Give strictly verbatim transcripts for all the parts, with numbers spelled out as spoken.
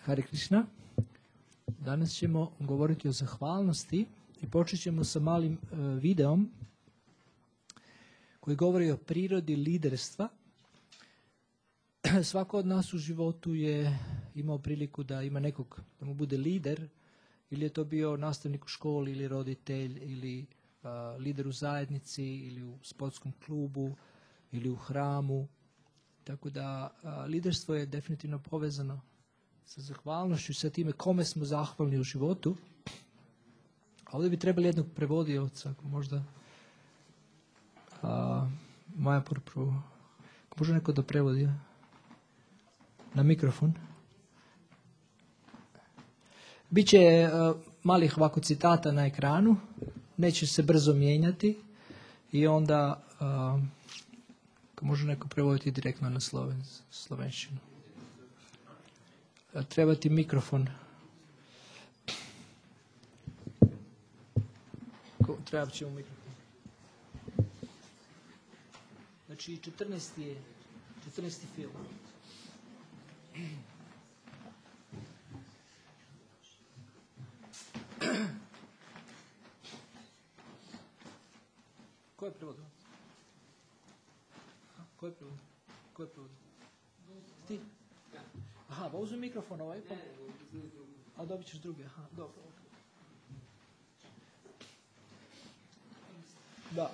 Hare Krishna. Danas ćemo govoriti o zahvalnosti i počet ćemo sa malim uh, videom koji govori o prirodi liderstva. Svako od nas u životu je imao priliku da ima nekog, da mu bude lider, ili je to bio nastavnik u školi, ili roditelj, ili uh, lider u zajednici, ili u sportskom klubu, ili u hramu. Tako da uh, liderstvo je definitivno povezano sa zahvalnošću i sa time kome smo zahvalni u životu. A ovdje bi trebali jednog prevodioca, ako možda a, Maja prvo, ako može neko da prevodi na mikrofon. Biće a, malih ovako citata na ekranu, neće se brzo mijenjati i onda a, ako može neko prevoditi direktno na sloven, slovenščinu. Treba ti mikrofon. Treba ćemo mikrofon. Znači četrnaesti je četrnaesti film. Ko je prevod? Ko je prevod? Ko je prevod? Ti? Aha, pa uzmi mikrofon ovaj, pa... A dobit ćeš drugi, aha, dobro. Da.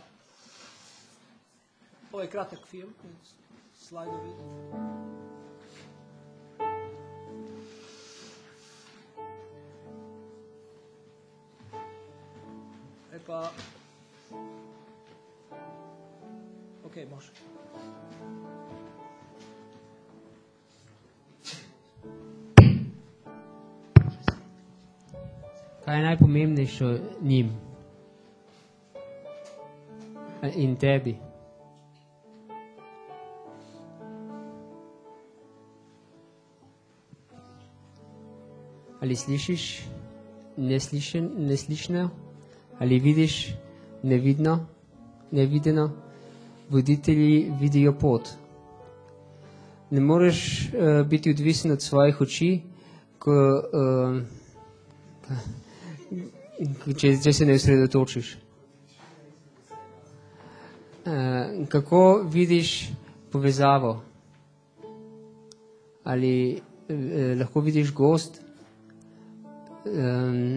Ovo je kratak film, slajdovi. E pa... Ok, može. Kaj je najpomembnejše njim in tebi? Ali slišiš neslišen, neslišno? Ali vidiš nevidno, nevideno? Voditelji vidijo pot. Ne moreš uh, biti odvisen od svojih oči, ko... Uh, Če, če se ne osredotočiš. E, kako vidiš povezavo? Ali e, lahko vidiš gozd e,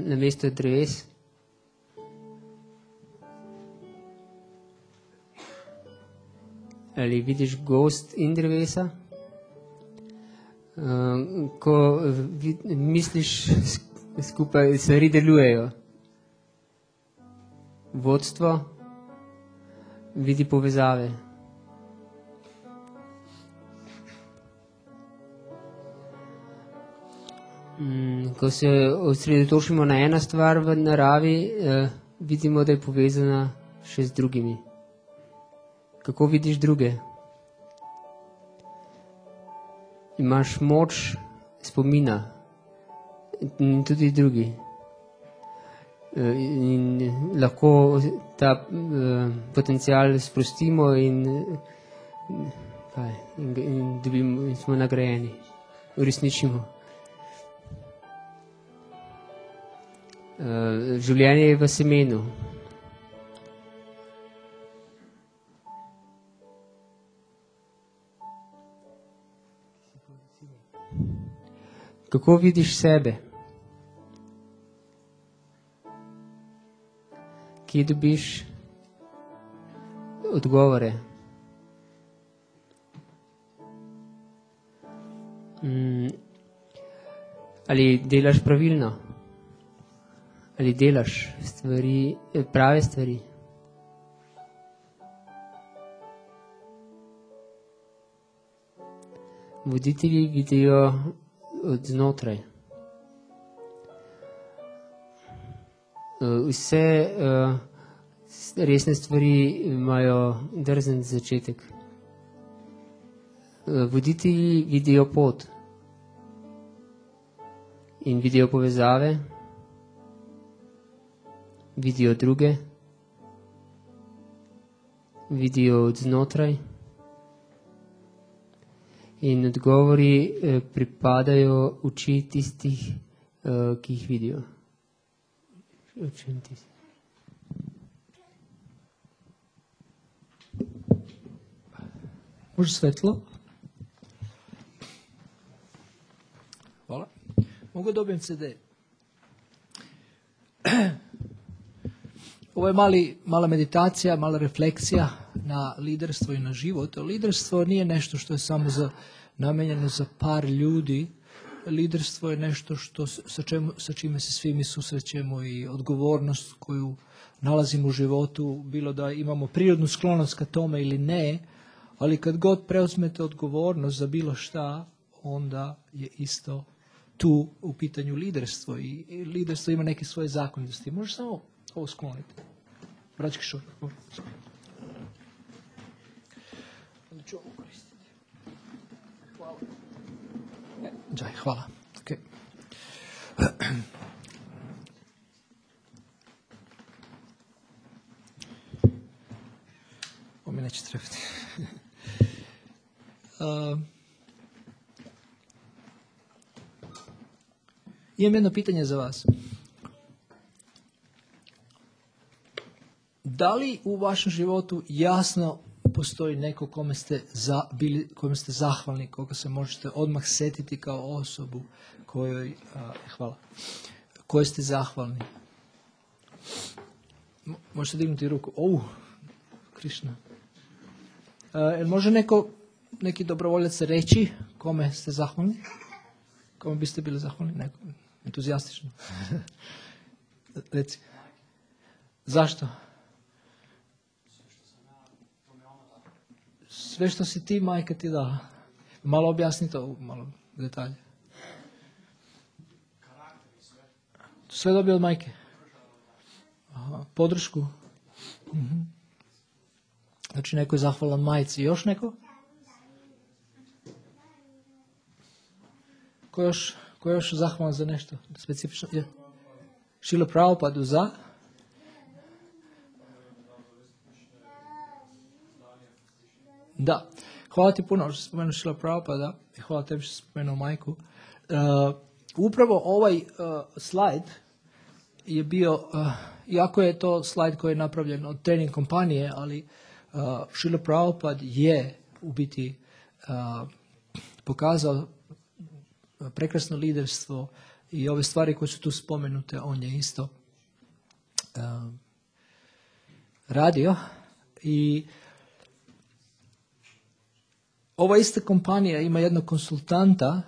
na mesto dreves? Ali vidiš gozd in drevesa? E, ko vid, misliš skupaj stvari delujejo. Vodstvo vidi povezave. Ko se osredotočimo na eno stvar v naravi, eh, vidimo, da je povezana še z drugimi. Kako vidiš druge? Imaš moč spomina. In tudi drugi. In lahko ta uh, potencial sprostimo in, kaj, in, in, dobimo, in smo nagrajeni, uresničimo. Uh, življenje je v semenu. Kako vidiš sebe? Kje dobiš odgovore? Mm. Ali delaš pravilno? Ali delaš stvari, prave stvari? Voditelji vidijo od znotraj. Vse uh, resne stvari imajo drzen začetek. Uh, voditelji vidijo pot in vidijo povezave, vidijo druge, vidijo od znotraj In odgovori eh, pripadajo oči tistih, eh, ki jih vidijo. Očem tistih. Može svetlo? Hvala. Mogu dobijem ce de. Ovo je mali, mala meditacija, mala refleksija na liderstvo i na život. Liderstvo nije nešto što je samo za, namenjeno za par ljudi. Liderstvo je nešto što, sa, čemu, sa čime se svi mi susrećemo i odgovornost koju nalazimo u životu, bilo da imamo prirodnu sklonost ka tome ili ne, ali kad god preuzmete odgovornost za bilo šta, onda je isto tu u pitanju liderstvo. I, i liderstvo ima neke svoje zakonitosti. Možeš samo ovo skloniti. Braćki šor. Onda ću ovo koristiti. Hvala. E, džaj, hvala. Okay. Ovo mi neće trebati. uh, imam jedno pitanje za vas. Da li u vašem životu jasno postoji neko kome ste, za, bili, kome ste zahvalni, koga se možete odmah setiti kao osobu kojoj, a, hvala, kojoj ste zahvalni? Možete dignuti ruku. O, Krišna. A, može neko, neki dobrovoljac reći kome ste zahvalni? Kome biste bili zahvalni? Neko, entuzijastično. Reci. Zašto? Sve što si ti, majka ti da. Malo objasni to, malo detalje. Sve dobio od majke? Aha, podršku? Uh-huh. Znači neko je zahvalan majci. Još neko? Ko još, ko još zahvalan za nešto specifično? Je. Šrila Prabhupadu za? Da. Hvala ti puno što si spomenuo Šrila Prabhupada i hvala tebi što si spomenuo majku. Uh, upravo ovaj uh, slajd je bio, uh, iako je to slajd koji je napravljen od trening kompanije, ali uh, Šrila Prabhupada je u biti uh, pokazao prekrasno liderstvo i ove stvari koje su tu spomenute, on je isto uh, radio. I ova ista kompanija ima jednog konsultanta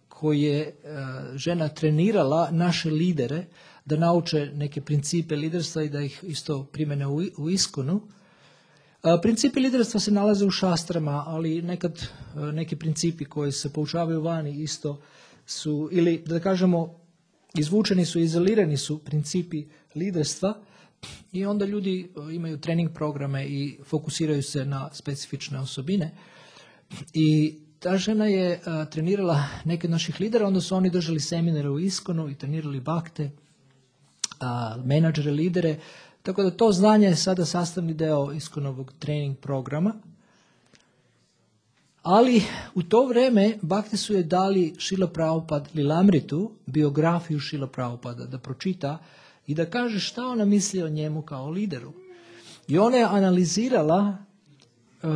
koji je uh, žena trenirala naše lidere da nauče neke principe liderstva i da ih isto primene u, u iskonu. Uh, principi liderstva se nalaze u šastrama, ali nekad uh, neki principi koji se poučavaju vani isto su, ili da kažemo, izvučeni su, izolirani su principi liderstva i onda ljudi uh, imaju trening programe i fokusiraju se na specifične osobine. I ta žena je a, trenirala neke od naših lidera, onda su oni držali seminare u Iskonu i trenirali bakte, a, menadžere, lidere, tako da to znanje je sada sastavni deo Iskonovog trening programa. Ali u to vreme bakte su je dali Šrila Prabhupada Lilamritu, biografiju Šrila Prabhupada, da pročita i da kaže šta ona misli o njemu kao lideru. I ona je analizirala Uh,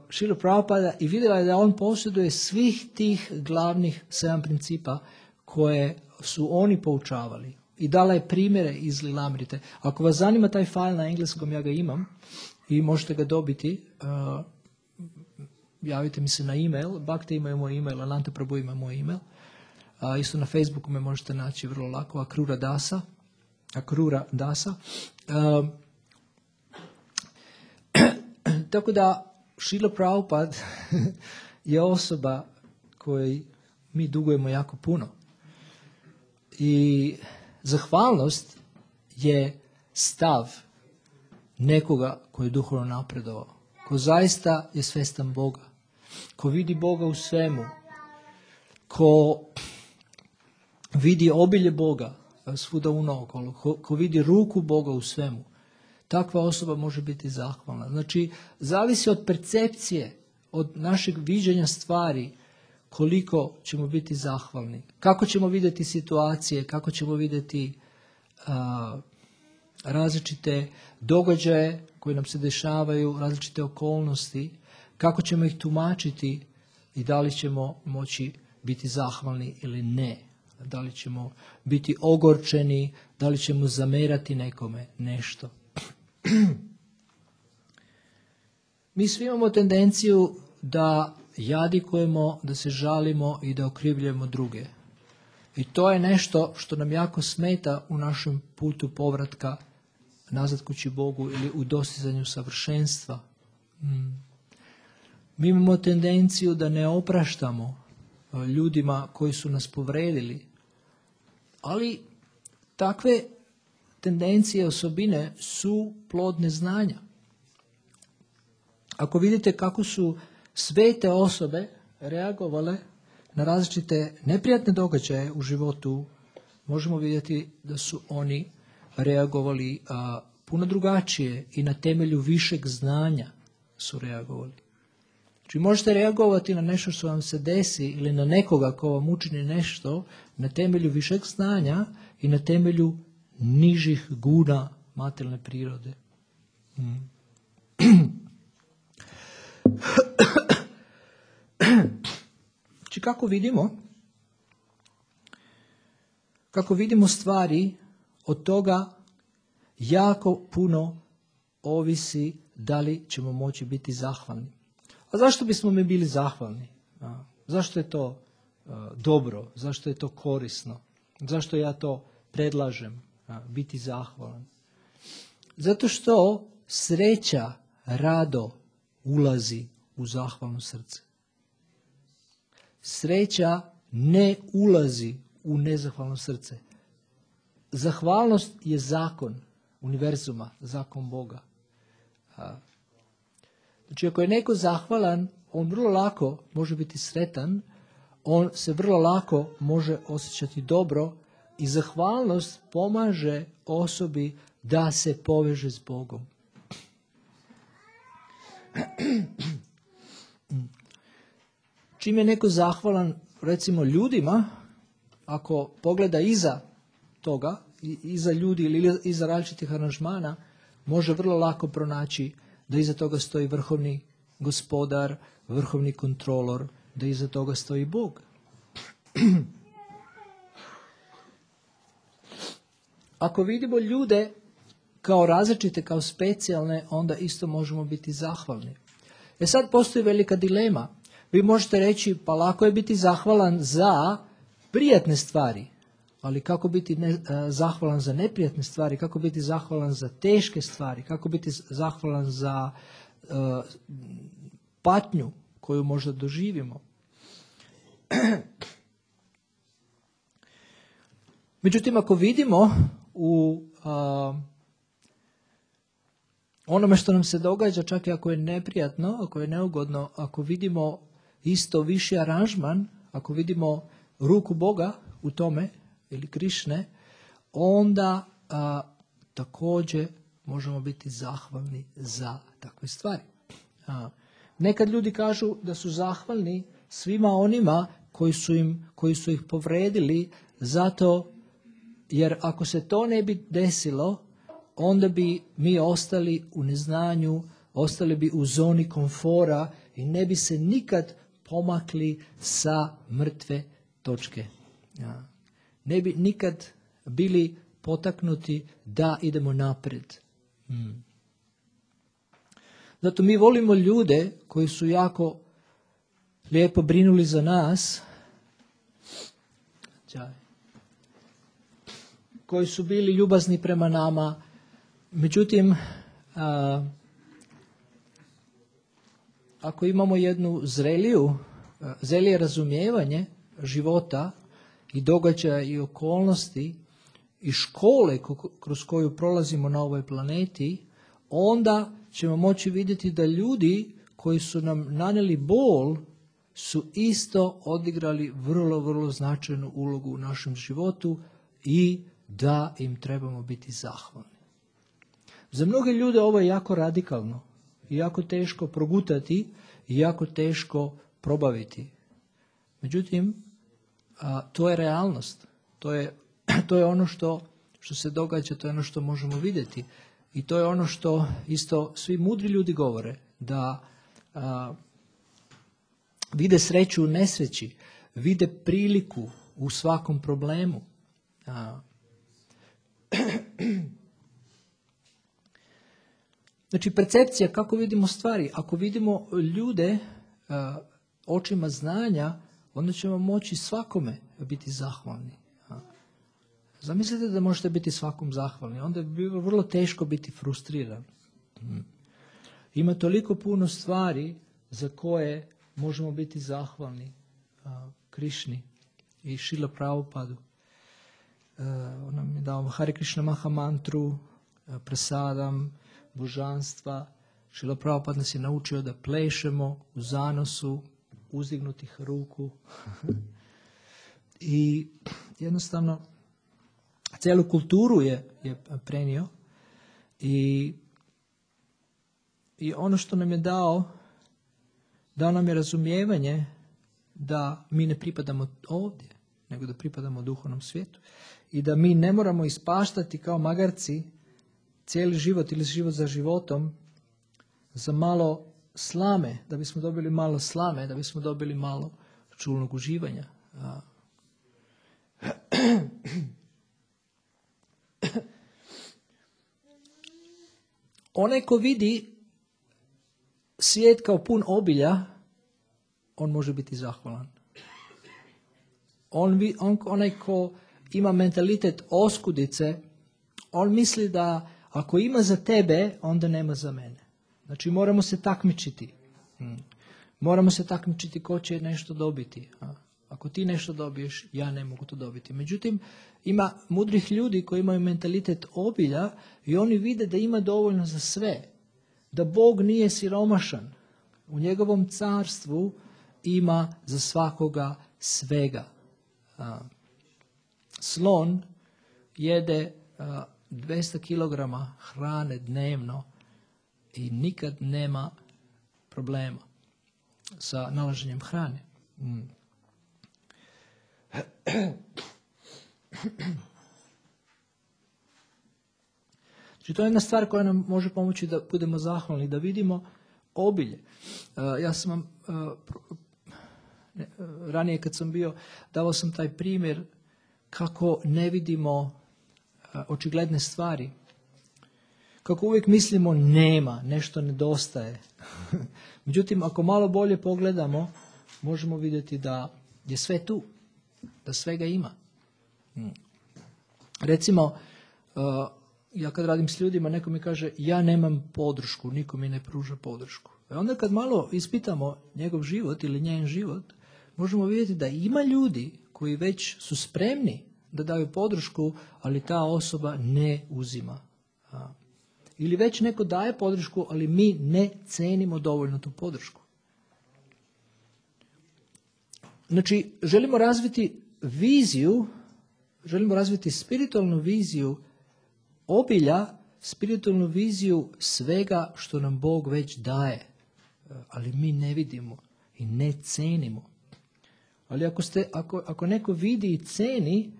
Šrila Prabhupada i vidjela je da on posjeduje svih tih glavnih sedam principa koje su oni poučavali. I dala je primjere iz Lilamrite. Ako vas zanima taj fajl na engleskom, ja ga imam i možete ga dobiti. Uh, javite mi se na e-mail. Bhakti imaju moj e-mail, Ananta Prabhu ima moj e-mail. Uh, isto na Facebooku me možete naći vrlo lako. Akrura Dasa. Akrura Dasa. Uh, tako da Šrila Prabhupada je osoba kojoj mi dugujemo jako puno. I zahvalnost je stav nekoga koji je duhovno napredovao, ko zaista je svestan Boga, ko vidi Boga u svemu, ko vidi obilje Boga svuda unaokolo, ko, ko vidi ruku Boga u svemu. Takva osoba može biti zahvalna. Znači, zavisi od percepcije, od našeg viđenja stvari, koliko ćemo biti zahvalni. Kako ćemo vidjeti situacije, kako ćemo vidjeti a, različite događaje koji nam se dešavaju, različite okolnosti, kako ćemo ih tumačiti i da li ćemo moći biti zahvalni ili ne. Da li ćemo biti ogorčeni, da li ćemo zamerati nekome nešto. Mi svi imamo tendenciju da jadikujemo, da se žalimo i da okrivljujemo druge. I to je nešto što nam jako smeta u našem putu povratka nazad kući Bogu ili u dostizanju savršenstva. Mm. Mi imamo tendenciju da ne opraštamo ljudima koji su nas povredili, ali takve tendencije, osobine su plod neznanja. Ako vidite kako su svete osobe reagovale na različite neprijatne događaje u životu, možemo vidjeti da su oni reagovali a, puno drugačije i na temelju višeg znanja su reagovali. Znači možete reagovati na nešto što vam se desi ili na nekoga ko vam učini nešto na temelju višeg znanja i na temelju nižih guna materijalne prirode. Hmm. Znači kako vidimo, kako vidimo stvari, od toga jako puno ovisi da li ćemo moći biti zahvalni. A zašto bismo mi bili zahvalni? A, zašto je to a, dobro? Zašto je to korisno? Zašto ja to predlažem, a, biti zahvalan? Zato što sreća rado ulazi u zahvalno srce. Sreća ne ulazi u nezahvalno srce. Zahvalnost je zakon univerzuma, zakon Boga. A, Znači, ako je neko zahvalan, on vrlo lako može biti sretan, on se vrlo lako može osjećati dobro i zahvalnost pomaže osobi da se poveže s Bogom. Čim je neko zahvalan, recimo ljudima, ako pogleda iza toga, iza ljudi ili iza različitih aranžmana, može vrlo lako pronaći da iza toga stoji vrhovni gospodar, vrhovni kontrolor, da iza toga stoji Bog. Ako vidimo ljude kao različite, kao specijalne, onda isto možemo biti zahvalni. E sad postoji velika dilema. Vi možete reći, pa lako je biti zahvalan za prijatne stvari, ali kako biti ne, zahvalan za neprijatne stvari, kako biti zahvalan za teške stvari, kako biti zahvalan za uh, patnju koju možda doživimo. Međutim, ako vidimo u uh, onome što nam se događa, čak i ako je neprijatno, ako je neugodno, ako vidimo isto viši aranžman, ako vidimo ruku Boga u tome, ili Krišne, onda a, također možemo biti zahvalni za takve stvari. A, nekad ljudi kažu da su zahvalni svima onima koji su, im, koji su ih povredili, zato jer ako se to ne bi desilo, onda bi mi ostali u neznanju, ostali bi u zoni komfora i ne bi se nikad pomakli sa mrtve točke. Ja. Ne bi nikad bili potaknuti da idemo naprijed. Hmm. Zato mi volimo ljude koji su jako lijepo brinuli za nas, koji su bili ljubazni prema nama. Međutim, a, ako imamo jednu zreliju, zrelije razumijevanje života i događaja i okolnosti i škole kroz koju prolazimo na ovoj planeti, onda ćemo moći vidjeti da ljudi koji su nam nanijeli bol su isto odigrali vrlo, vrlo značajnu ulogu u našem životu i da im trebamo biti zahvalni. Za mnoge ljude ovo je jako radikalno i jako teško progutati i jako teško probaviti. Međutim, a, to je realnost. To je, to je ono što, što se događa, to je ono što možemo vidjeti. I to je ono što isto svi mudri ljudi govore, da a, vide sreću u nesreći, vide priliku u svakom problemu. A, Znači, percepcija, kako vidimo stvari. Ako vidimo ljude uh, očima znanja, onda ćemo moći svakome biti zahvalni. Uh. Zamislite da možete biti svakom zahvalni. Onda bi bilo vrlo teško biti frustriran. Hmm. Ima toliko puno stvari za koje možemo biti zahvalni uh, Krišni i Šrila Prabhupadu. Uh, on nam je dao Hare Krishna Maha mantru, uh, prasadam, božanstva. Šrila Prabhupada nas je naučio da plešemo u zanosu uzdignutih ruku. I jednostavno cijelu kulturu je, je prenio. I, I ono što nam je dao, dao nam je razumijevanje da mi ne pripadamo ovdje, nego da pripadamo duhovnom svijetu. I da mi ne moramo ispaštati kao magarci cijeli život ili život za životom za malo slame, da bismo dobili malo slame, da bismo dobili malo čulnog uživanja. Onaj ko vidi svijet kao pun obilja, on može biti zahvalan. On, on, onaj ko ima mentalitet oskudice, on misli da ako ima za tebe, onda nema za mene. Znači, moramo se takmičiti. Hmm. Moramo se takmičiti ko će nešto dobiti. A? Ako ti nešto dobiješ, ja ne mogu to dobiti. Međutim, ima mudrih ljudi koji imaju mentalitet obilja i oni vide da ima dovoljno za sve. Da Bog nije siromašan. U njegovom carstvu ima za svakoga svega. A? Slon jede a, dvjesto kilograma hrane dnevno i nikad nema problema sa nalaženjem hrane. Mm. Znači, to je jedna stvar koja nam može pomoći da budemo zahvalni, da vidimo obilje. Uh, ja sam vam uh, ne, uh, ranije kad sam bio, davao sam taj primjer kako ne vidimo očigledne stvari. Kako uvijek mislimo nema, nešto nedostaje. Međutim, ako malo bolje pogledamo, možemo vidjeti da je sve tu, da svega ima. Recimo, ja kad radim s ljudima, neko mi kaže ja nemam podršku, niko mi ne pruža podršku. E onda kad malo ispitamo njegov život ili njen život, možemo vidjeti da ima ljudi koji već su spremni da daju podršku, ali ta osoba ne uzima. Ili već neko daje podršku, ali mi ne cenimo dovoljno tu podršku. Znači, želimo razviti viziju, želimo razviti spiritualnu viziju obilja, spiritualnu viziju svega što nam Bog već daje, ali mi ne vidimo i ne cenimo. Ali ako, ste, ako, ako neko vidi i ceni,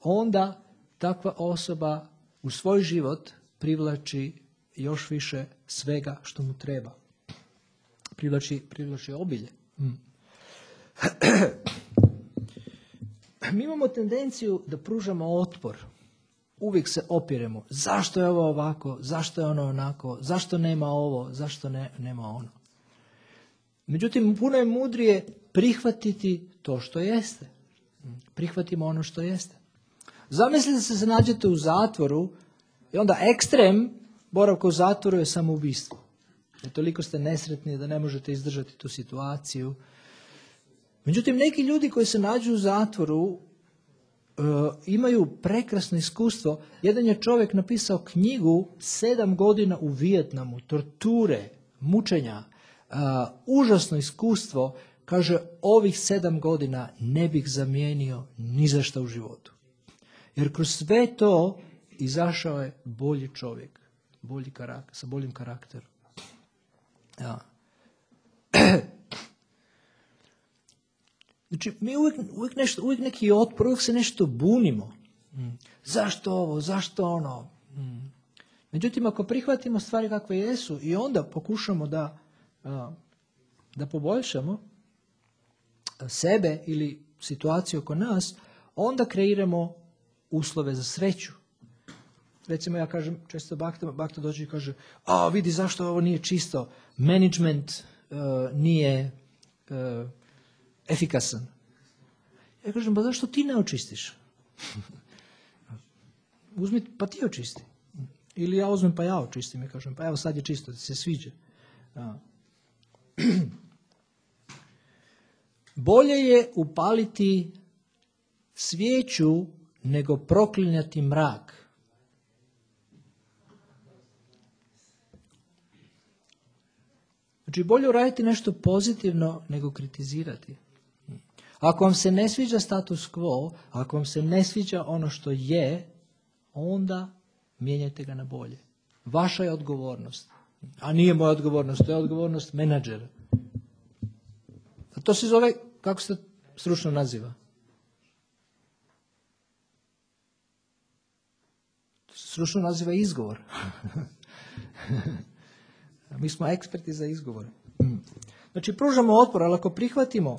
onda takva osoba u svoj život privlači još više svega što mu treba. Privlači, privlači obilje. Mm. Mi imamo tendenciju da pružamo otpor. Uvijek se opiremo. Zašto je ovo ovako? Zašto je ono onako? Zašto nema ovo? Zašto ne, nema ono? Međutim, puno je mudrije prihvatiti to što jeste. Prihvatimo ono što jeste. Zamislite se se nađete u zatvoru i onda ekstrem boravka u zatvoru je samoubistvo. Jer toliko ste nesretni da ne možete izdržati tu situaciju. Međutim, neki ljudi koji se nađu u zatvoru uh, imaju prekrasno iskustvo. Jedan je čovjek napisao knjigu sedam godina u Vijetnamu, torture, mučenja, uh, užasno iskustvo. Kaže, ovih sedam godina ne bih zamijenio ni za šta u životu. Jer kroz sve to izašao je bolji čovjek, bolji karakter, sa boljim karakterom. Ja. Znači, mi uvijek, uvijek, nešto, uvijek neki otpor, uvijek se nešto bunimo. Mm. Zašto ovo, zašto ono? Mm. Međutim, ako prihvatimo stvari kakve jesu i onda pokušamo da, da poboljšamo sebe ili situaciju oko nas, onda kreiramo uslove za sreću. Recimo, ja kažem, često Bakta, Bakta dođe i kaže, a vidi zašto ovo nije čisto, management uh, nije uh, efikasan. Ja kažem, pa zašto ti ne očistiš? Uzmi, pa ti očisti. Ili ja uzmem pa ja očistim i kažem, pa evo sad je čisto, da se sviđa. A. Bolje je upaliti svijeću nego proklinjati mrak. Znači, bolje uraditi nešto pozitivno nego kritizirati. Ako vam se ne sviđa status quo, ako vam se ne sviđa ono što je, onda mijenjajte ga na bolje. Vaša je odgovornost. A nije moja odgovornost, to je odgovornost menadžera. A to se zove, kako se stručno naziva? To se stručno naziva izgovor. Mi smo eksperti za izgovor. Znači, pružamo otpor, ali ako prihvatimo,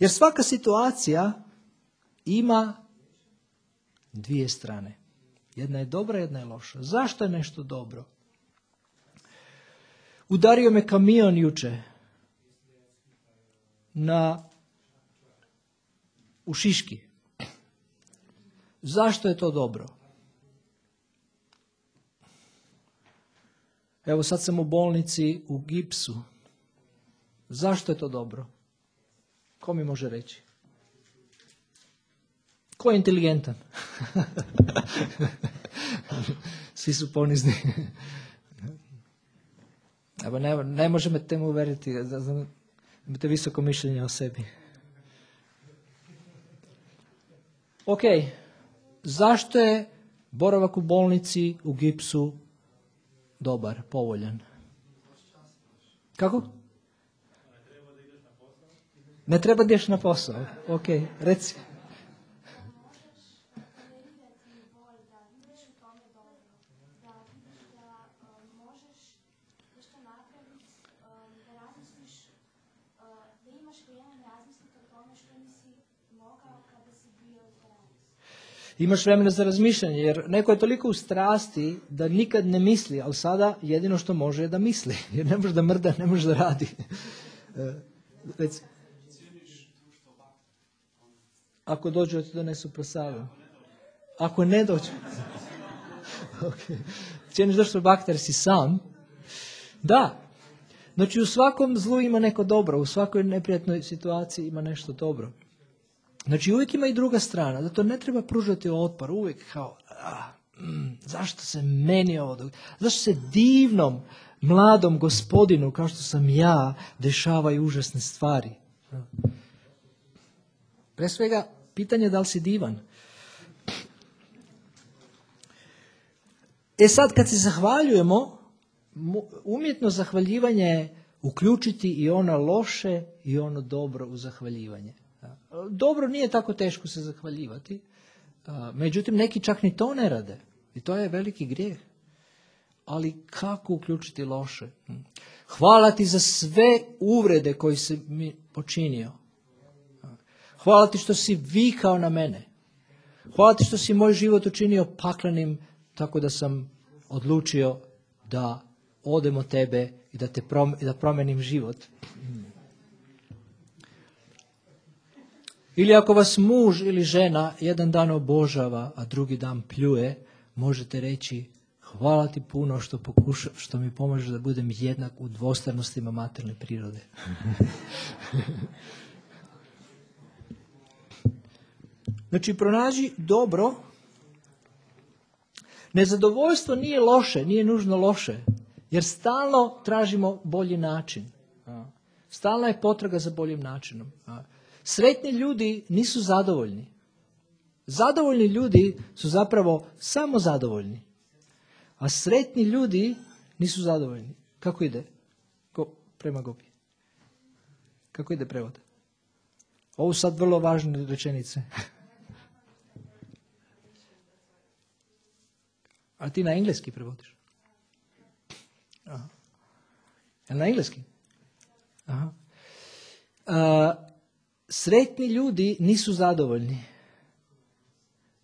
jer svaka situacija ima dvije strane. Jedna je dobra, jedna je loša. Zašto je nešto dobro? Udario me kamion juče na u Šiški. Zašto je to dobro? Evo sad sam u bolnici u gipsu. Zašto je to dobro? Ko mi može reći? Ko je inteligentan? Svi su ponizni. Evo, ne, ne može me temu uveriti. Imate visoko mišljenje o sebi. Ok. Zašto je boravak u bolnici u gipsu dobar, povoljan? Kako? Ne treba da ideš na posao. Ok, reci. Imaš vremena za razmišljanje, jer neko je toliko u strasti da nikad ne misli, ali sada jedino što može je da misli, jer ne može da mrda, ne može da radi. Reci. Ako dođu, da ti donesu prasadu. Ako ne dođu. Okay. Cijeniš došli Bakta jer si sam. Da. Znači, u svakom zlu ima neko dobro, u svakoj neprijatnoj situaciji ima nešto dobro. Znači, uvijek ima i druga strana, zato ne treba pružati otpor, uvijek kao, ah, mm, zašto se meni ovo događa? Zašto se divnom, mladom gospodinu, kao što sam ja, dešavaju užasne stvari? Pre svega, pitanje je da li si divan. E sad, kad se zahvaljujemo, umjetno zahvaljivanje je uključiti i ono loše i ono dobro u zahvaljivanje. Dobro, nije tako teško se zahvaljivati, međutim neki čak ni to ne rade i to je veliki grijeh. Ali kako uključiti loše? Hvala ti za sve uvrede koje si mi počinio. Hvala ti što si vikao na mene. Hvala ti što si moj život učinio paklenim tako da sam odlučio da odem od tebe i da, te prom- da promenim život. Ili ako vas muž ili žena jedan dan obožava, a drugi dan pljuje, možete reći hvala ti puno što, pokuša, što mi pomaže da budem jednak u dvostranostima materijalne prirode. Znači, pronađi dobro. Nezadovoljstvo nije loše, nije nužno loše, jer stalno tražimo bolji način. Stalna je potraga za boljim načinom. Sretni ljudi nisu zadovoljni. Zadovoljni ljudi su zapravo samo zadovoljni. A sretni ljudi nisu zadovoljni. Kako ide? Ko, prema Gopi. Kako ide prevod? Ovo su sad vrlo važne rečenice. A ti na engleski prevodiš? Aha. Jel na engleski? Aha. A, sretni ljudi nisu zadovoljni.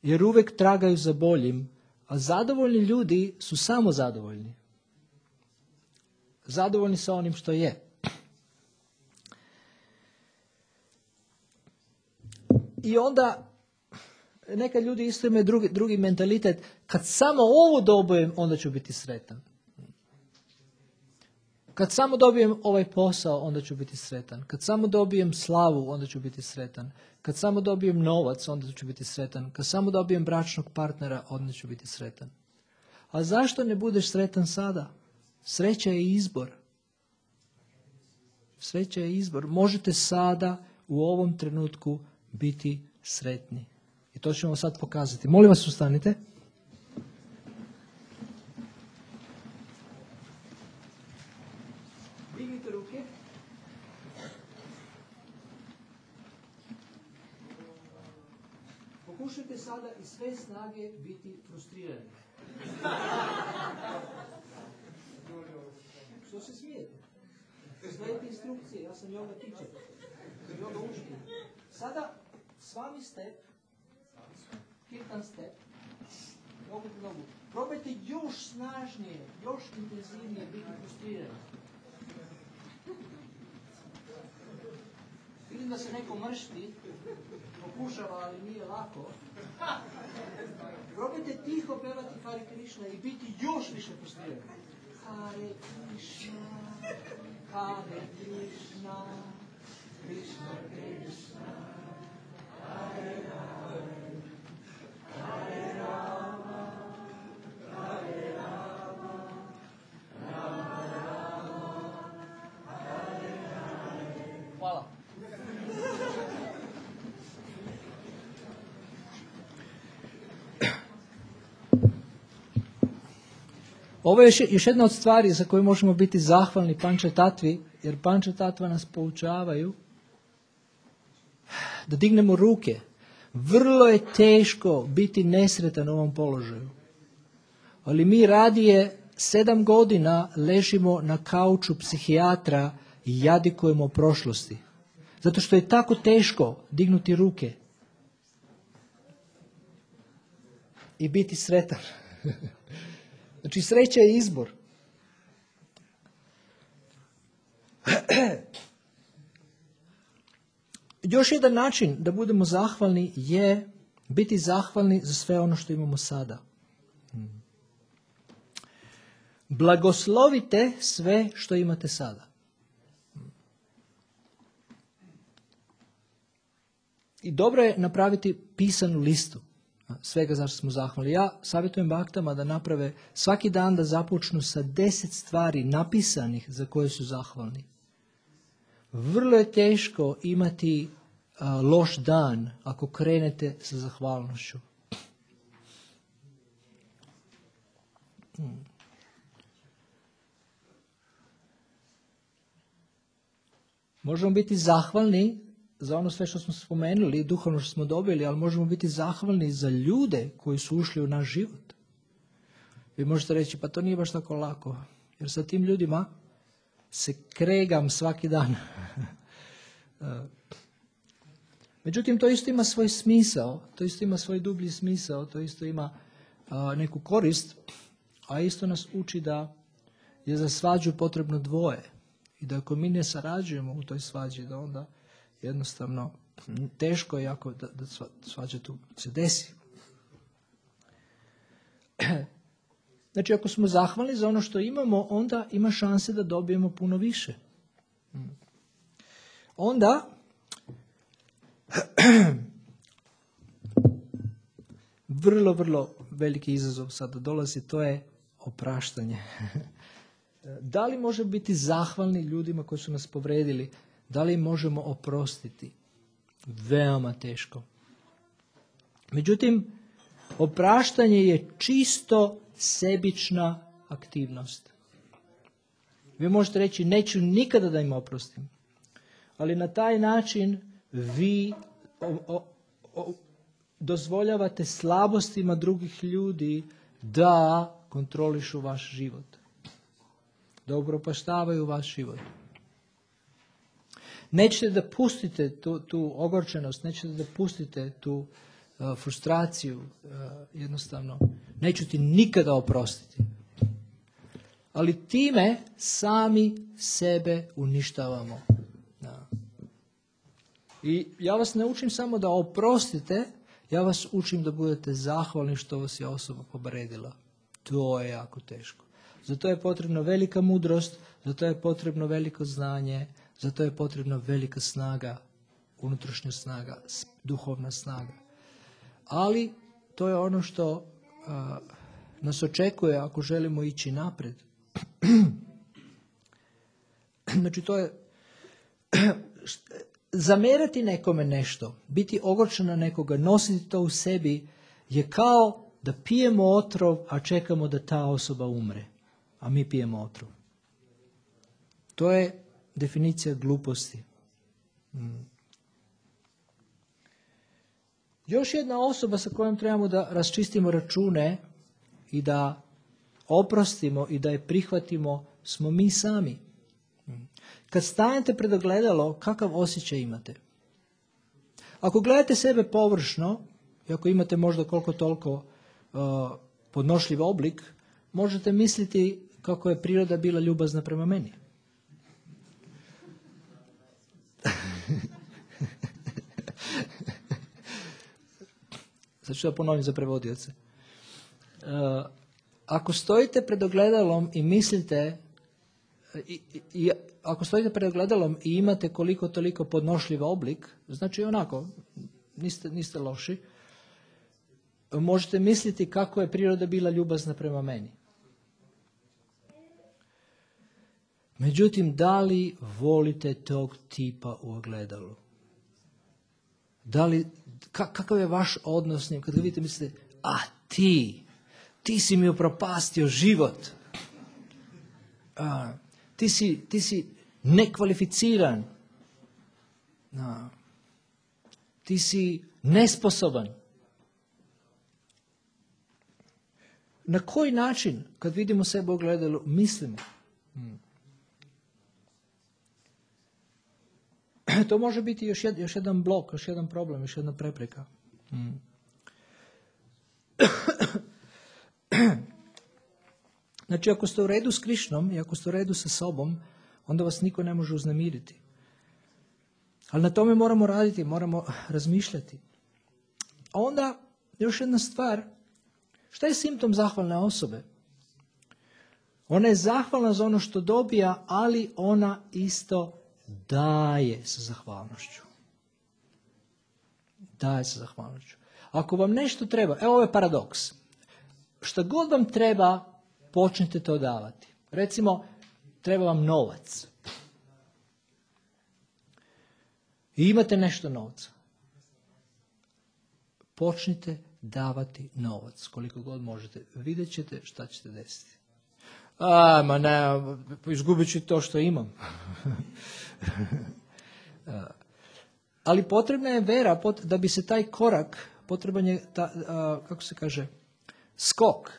Jer uvijek tragaju za boljim. A zadovoljni ljudi su samo zadovoljni. Zadovoljni sa onim što je. I onda neka ljudi isto imaju drugi, drugi mentalitet. Kad samo ovo dobijem, onda ću biti sretan. Kad samo dobijem ovaj posao, onda ću biti sretan. Kad samo dobijem slavu, onda ću biti sretan. Kad samo dobijem novac, onda ću biti sretan. Kad samo dobijem bračnog partnera, onda ću biti sretan. A zašto ne budeš sretan sada? Sreća je izbor. Sreća je izbor. Možete sada, u ovom trenutku, biti sretni. I to ćemo sad pokazati. Molim vas, ustanite. Dignite ruke. Pokušajte sada iz sve snage biti frustrirani. Što se smijete? Slijedite instrukcije, ja sam yoga teacher. Yoga učitelj. Sada s vami step, kirtan step, nogu po nogu. Probajte još snažnije, još intenzivnije biti frustrirani. Vidim da se neko mršti, pokušava, ali nije lako. Probajte tiho pevati Hare Krishna i biti još više frustrirani. Hare Krishna, Hare Krishna, Krishna Krishna, Hare Rama, Hare Rama, Hare Rama, Rama Rama, Hare Hare. Hvala. Ovo je još, još jedna od stvari za koju možemo biti zahvalni Pančatatvi, jer Pančatatva nas poučavaju da dignemo ruke. Vrlo je teško biti nesretan u ovom položaju. Ali mi radije sedam godina ležimo na kauču psihijatra i jadikujemo o prošlosti. Zato što je tako teško dignuti ruke i biti sretan. Znači, sreća je izbor. Još jedan način da budemo zahvalni je biti zahvalni za sve ono što imamo sada. Blagoslovite sve što imate sada. I dobro je napraviti pisanu listu svega zašto smo zahvalni. Ja savjetujem baktama da naprave svaki dan da započnu sa deset stvari napisanih za koje su zahvalni. Vrlo je teško imati a, loš dan ako krenete sa zahvalnošću. Hmm. Možemo biti zahvalni za ono sve što smo spomenuli, duhovno što smo dobili, ali možemo biti zahvalni za ljude koji su ušli u naš život. Vi možete reći, pa to nije baš tako lako, jer sa tim ljudima se kregam svaki dan. Međutim, to isto ima svoj smisao, to isto ima svoj dublji smisao, to isto ima a, neku korist, a isto nas uči da je za svađu potrebno dvoje. I da ako mi ne sarađujemo u toj svađi, da onda jednostavno teško je jako da, da svađa tu se desi. Znači, ako smo zahvalni za ono što imamo, onda ima šanse da dobijemo puno više. Onda vrlo, vrlo veliki izazov sada dolazi, to je opraštanje. Da li možemo biti zahvalni ljudima koji su nas povredili? Da li možemo oprostiti? Veoma teško. Međutim, opraštanje je čisto sebična aktivnost. Vi možete reći, neću nikada da im oprostim. Ali na taj način vi o, o, o, dozvoljavate slabostima drugih ljudi da kontrolišu vaš život, da upropaštavaju vaš život. Nećete da pustite tu, tu ogorčenost, nećete da pustite tu uh, frustraciju, uh, jednostavno. Neću ti nikada oprostiti. Ali time sami sebe uništavamo. Da. I ja vas ne učim samo da oprostite, ja vas učim da budete zahvalni što vas je osoba povredila. To je jako teško. Zato je potrebna velika mudrost, zato je potrebno veliko znanje, zato je potrebna velika snaga, unutrašnja snaga, duhovna snaga. Ali to je ono što a, nas očekuje ako želimo ići napred. Znači to je zamerati nekome nešto, biti ogorčen na nekoga, nositi to u sebi je kao da pijemo otrov, a čekamo da ta osoba umre, a mi pijemo otrov. To je definicija gluposti. Hmm. Još jedna osoba sa kojom trebamo da raščistimo račune i da oprostimo i da je prihvatimo smo mi sami. Kad stanete pred ogledalo, kakav osjećaj imate? Ako gledate sebe površno, i ako imate možda koliko toliko uh, podnošljiv oblik, možete misliti kako je priroda bila ljubazna prema meni. Sad ću da ponovim za prevodioce. Uh, ako stojite pred ogledalom i mislite, i, i, i, ako stojite pred ogledalom i imate koliko toliko podnošljiv oblik, znači onako, niste, niste loši, možete misliti kako je priroda bila ljubazna prema meni. Međutim, da li volite tog tipa u ogledalu? Da li, ka, kakav je vaš odnos s njim? Kad ga vidite, mislite, a ti, ti si mi upropastio život. A, ti, si, ti si nekvalificiran. A, ti si nesposoban. Na koji način, kad vidimo sebe u ogledalu, mislimo? Hmm. To može biti još, jed, još jedan blok, još jedan problem, još jedna prepreka. Hmm. Znači, ako ste u redu s Krišnom i ako ste u redu sa sobom, onda vas niko ne može uznemiriti. Ali na tome moramo raditi, moramo razmišljati. A onda, još jedna stvar, šta je simptom zahvalne osobe? Ona je zahvalna za ono što dobija, ali ona isto daje sa zahvalnošću. Daje sa zahvalnošću. Ako vam nešto treba, evo ovo je paradoks. Šta god vam treba, počnite to davati. Recimo, treba vam novac. I imate nešto novca. Počnite davati novac, koliko god možete. Vidjet ćete šta ćete desiti. A, ma ne, izgubit ću to što imam. Ali potrebna je vera, da bi se taj korak, potreban je, ta, kako se kaže, skok,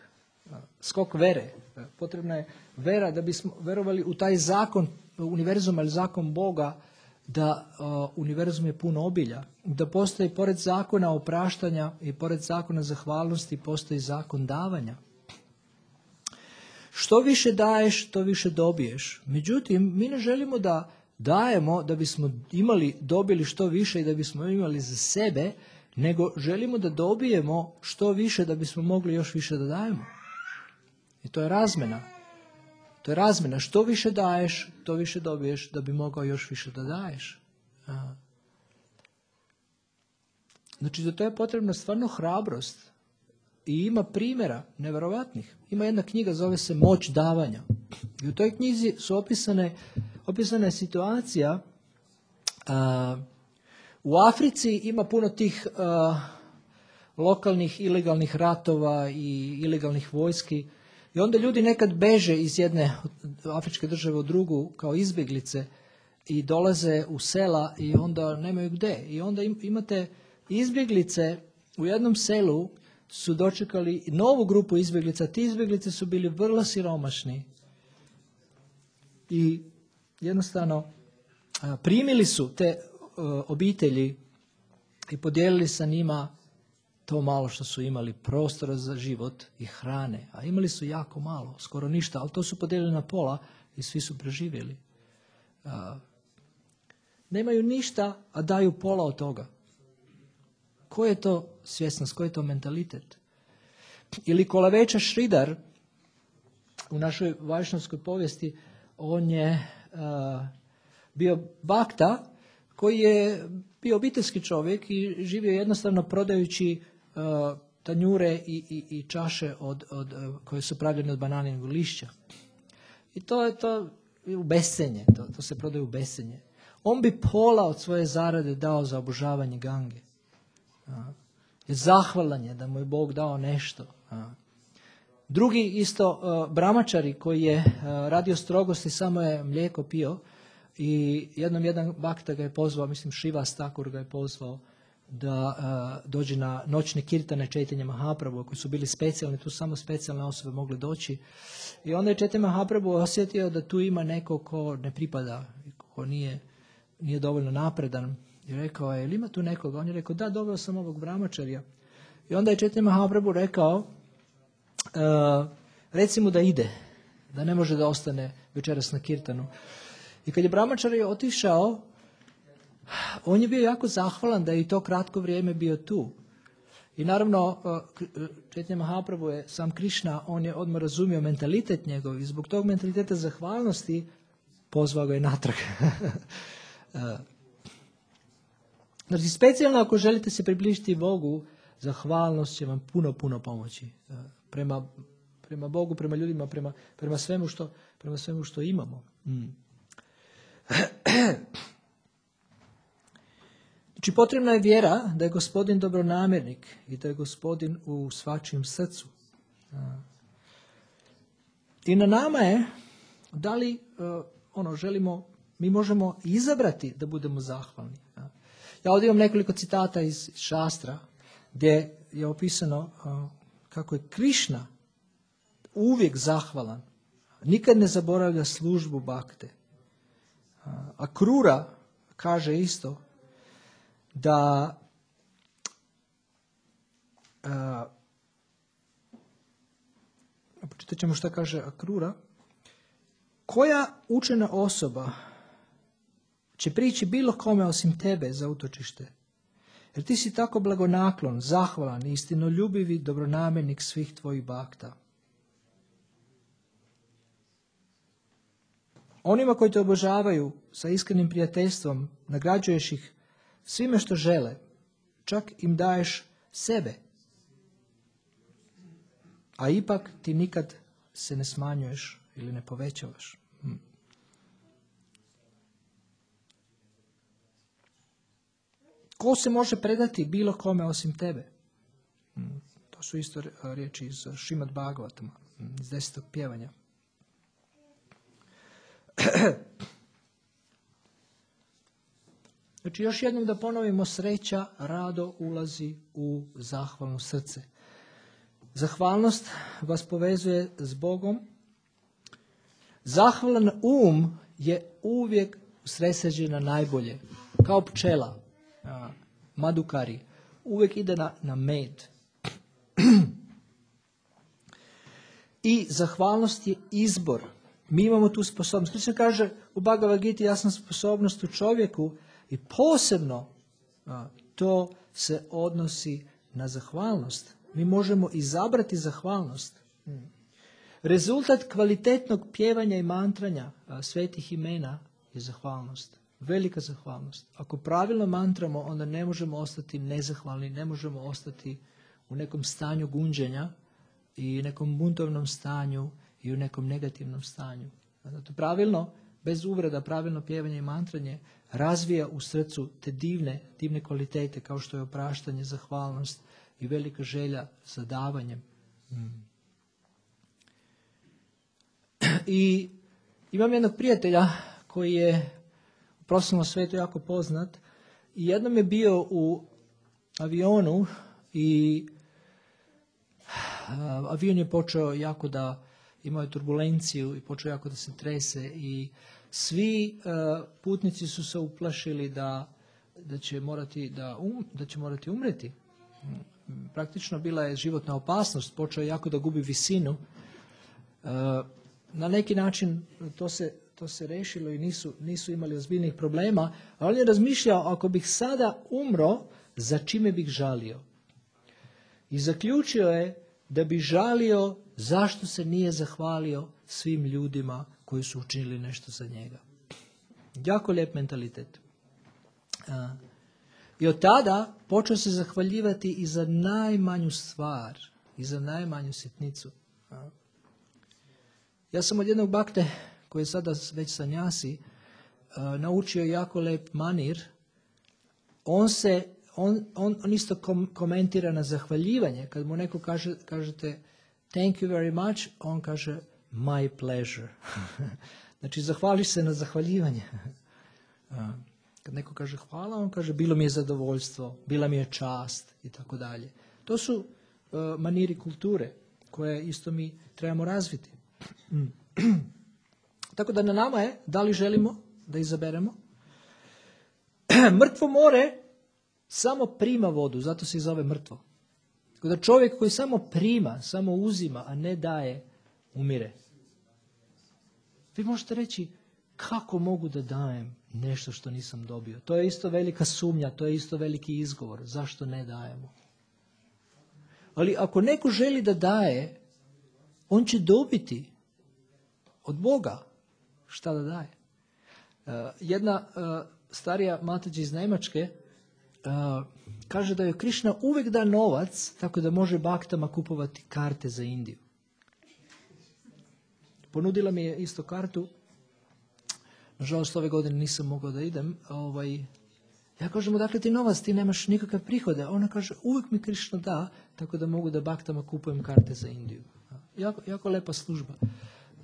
skok vere. Potrebna je vera da bismo verovali u taj zakon univerzuma ili zakon Boga, da uh, univerzum je puno obilja, da postoji pored zakona opraštanja i pored zakona zahvalnosti postoji zakon davanja. Što više daješ, to više dobiješ. Međutim, mi ne želimo da dajemo da bismo imali, dobili što više i da bismo imali za sebe, nego želimo da dobijemo što više da bismo mogli još više da dajemo. I to je razmena. To je razmena. Što više daješ, to više dobiješ da bi mogao još više da daješ. Aha. Znači, za to je potrebna stvarno hrabrost. I ima primjera neverovatnih. Ima jedna knjiga, zove se Moć davanja. I u toj knjizi su opisane, opisana je situacija. A, u Africi ima puno tih a, lokalnih ilegalnih ratova i ilegalnih vojski. I onda ljudi nekad beže iz jedne afričke države u drugu kao izbjeglice i dolaze u sela i onda nemaju gde. I onda im, imate izbjeglice u jednom selu su dočekali novu grupu izbjeglica. Ti izbjeglice su bili vrlo siromašni i jednostavno a, primili su te a, obitelji i podijelili sa njima to malo što su imali, prostora za život i hrane. A imali su jako malo, skoro ništa, ali to su podijelili na pola i svi su preživjeli. A, nemaju ništa, a daju pola od toga. Ko je to svjesnost, ko je to mentalitet? Ili Kolaveča Šridar, u našoj vajšnavskoj povijesti, on je a, bio bakta koji je bio obiteljski čovjek i živio jednostavno prodajući uh, tanjure i, i, i čaše od, od, uh, koje su pravljene od bananinog lišća. I to je to u bescenje, to, to se prodaje u bescenje. On bi pola od svoje zarade dao za obožavanje Gange. Uh, je zahvalan je da mu je Bog dao nešto. Uh. Drugi isto uh, bramačari koji je uh, radio strogosti, samo je mlijeko pio. I jednom jedan bakta ga je pozvao, mislim Šivas Thakur ga je pozvao da uh, dođe na noćne kirtane Chaitanya Mahaprabhu, koji su bili specijalni, tu samo specijalne osobe mogle doći. I onda je Chaitanya Mahaprabhu osjetio da tu ima neko ko ne pripada, ko nije, nije dovoljno napredan. I rekao je, ili ima tu nekoga? On je rekao, da, doveo sam ovog brahmačarja. I onda je Chaitanya Mahaprabhu rekao, uh, reci mu da ide, da ne može da ostane večeras na kirtanu. I kad je brahmačari otišao, on je bio jako zahvalan da je i to kratko vrijeme bio tu. I naravno, Chaitanya Mahaprabhu je sam Krišna, on je odmah razumio mentalitet njegov i zbog tog mentaliteta zahvalnosti pozvao ga je natrag. Znači, specijalno ako želite se približiti Bogu, zahvalnost će vam puno, puno pomoći. Prema, prema Bogu, prema ljudima, prema, prema, svemu, što, prema svemu što imamo. Mm. Znači, potrebna je vjera da je Gospodin dobronamjernik i da je Gospodin u svačijem srcu. I na nama je da li uh, ono želimo, mi možemo izabrati da budemo zahvalni. Ja ovdje imam nekoliko citata iz šastra gdje je opisano uh, kako je Krišna uvijek zahvalan, nikad ne zaboravlja službu bakte. A Krura kaže isto da a, pročitat ćemo šta kaže Akrura. Koja učena osoba će prići bilo kome osim tebe za utočište? Jer ti si tako blagonaklon, zahvalan, istinoljubivi dobronamjernik svih tvojih bakta. Onima koji te obožavaju sa iskrenim prijateljstvom, nagrađuješ ih svime što žele, čak im daješ sebe. A ipak ti nikad se ne smanjuješ ili ne povećavaš. Hm. Ko se može predati bilo kome osim tebe? Hm. To su isto riječi iz Šrimad Bhagavatama, iz desetog pjevanja. Znači, još jednom da ponovimo, sreća rado ulazi u zahvalno srce. Zahvalnost vas povezuje s Bogom. Zahvalan um je uvijek usredsređen na najbolje. Kao pčela, madukari, uvijek ide na, na med. I zahvalnost je izbor. Mi imamo tu sposobnost. Krišna kaže u Bhagavad Giti, jasna sposobnost u čovjeku i posebno a, to se odnosi na zahvalnost. Mi možemo izabrati zahvalnost. Hmm. Rezultat kvalitetnog pjevanja i mantranja a, svetih imena je zahvalnost. Velika zahvalnost. Ako pravilno mantramo, onda ne možemo ostati nezahvalni, ne možemo ostati u nekom stanju gunđenja i nekom buntovnom stanju i u nekom negativnom stanju. Zato pravilno, bez uvreda, pravilno pjevanje i mantranje razvija u srcu te divne, divne kvalitete kao što je opraštanje, zahvalnost i velika želja za davanjem. Mm. I imam jednog prijatelja koji je profesionalnom svetu jako poznat. I jednom je bio u avionu i avion je počeo jako da, imao je turbulenciju i počeo jako da se trese i svi uh, putnici su se uplašili da, da, će morati da, um, da će morati umreti. Praktično bila je životna opasnost, počeo je jako da gubi visinu. Uh, na neki način to se, to se rešilo i nisu, nisu imali ozbiljnih problema, ali on je razmišljao, ako bih sada umro, za čime bih žalio? I zaključio je da bi žalio zašto se nije zahvalio svim ljudima koji su učinili nešto za njega. Jako lijep mentalitet. A, I od tada počeo se zahvaljivati i za najmanju stvar, i za najmanju sitnicu. A. Ja sam od jednog bakte, koji je sada već sanjasi, a, naučio jako lijep manir. On se On, on, on isto kom, komentira na zahvaljivanje. Kad mu neko kaže, kažete thank you very much, on kaže my pleasure. Znači, zahvališ se na zahvaljivanje. Kad neko kaže hvala, on kaže bilo mi je zadovoljstvo, bila mi je čast i tako dalje. To su uh, maniri kulture koje isto mi trebamo razviti. Tako da na nama je da li želimo da izaberemo. Mrtvo more samo prima vodu, zato se i zove mrtvo. Tako da čovjek koji samo prima, samo uzima, a ne daje, umire. Vi možete reći, kako mogu da dajem nešto što nisam dobio? To je isto velika sumnja, to je isto veliki izgovor. Zašto ne dajemo? Ali ako neko želi da daje, on će dobiti od Boga šta da daje. Uh, jedna uh, starija matađa iz Njemačke Uh, kaže da joj Krišna uvijek da novac tako da može baktama kupovati karte za Indiju. Ponudila mi je isto kartu. Nažalost, ove godine nisam mogao da idem. Ovaj, ja kažem, dakle ti novac, ti nemaš nikakve prihode. Ona kaže, uvijek mi Krišna da, tako da mogu da baktama kupujem karte za Indiju. Jako, jako lepa služba.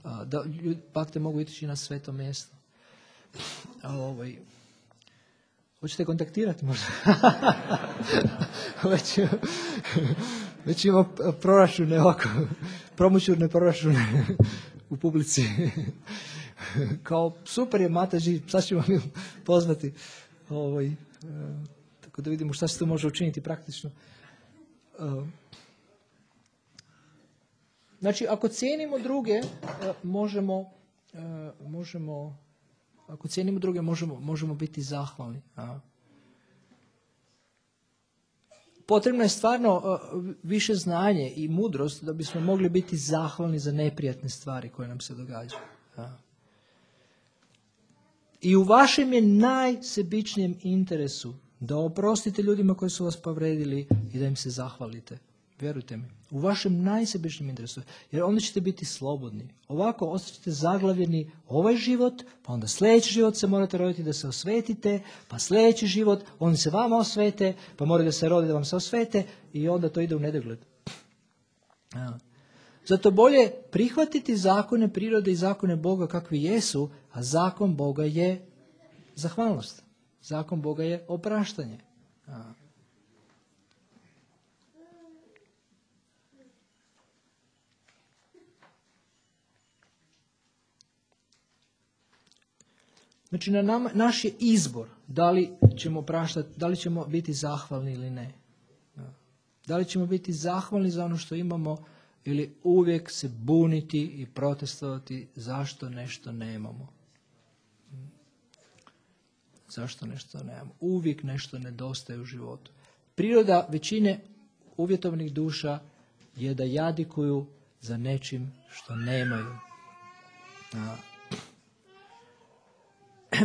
Uh, da ljudi, bakte mogu ići na sveto mjesto. Ovaj... Hoćete kontaktirati možda? već, već ima proračune ovako, promoćurne proračune u publici. Kao super je Mataži, sad ćemo mi pozvati. Ovaj, e, tako da vidimo šta se to može učiniti praktično. E, znači, ako cijenimo druge, e, možemo, e, možemo Ako cijenimo druge, možemo, možemo biti zahvalni. A. Potrebno je stvarno a, više znanje i mudrost da bismo mogli biti zahvalni za neprijatne stvari koje nam se događaju. A. I u vašem je najsebičnijem interesu da oprostite ljudima koji su vas povredili i da im se zahvalite. Vjerujte mi. U vašem najsebičnijem interesu. Jer onda ćete biti slobodni. Ovako ostaćete zaglavljeni ovaj život, pa onda sljedeći život se morate roditi da se osvetite, pa sljedeći život, oni se vama osvete, pa morate da se rodi da vam se osvete i onda to ide u nedogled. Ja. Zato bolje prihvatiti zakone prirode i zakone Boga kakvi jesu, a zakon Boga je zahvalnost. Zakon Boga je opraštanje. Ja. Znači, na nama, naš je izbor da li ćemo praštati, da li ćemo biti zahvalni ili ne. Da li ćemo biti zahvalni za ono što imamo ili uvijek se buniti i protestovati zašto nešto nemamo. Zašto nešto nemamo. Uvijek nešto nedostaje u životu. Priroda većine uvjetovnih duša je da jadikuju za nečim što nemaju. A,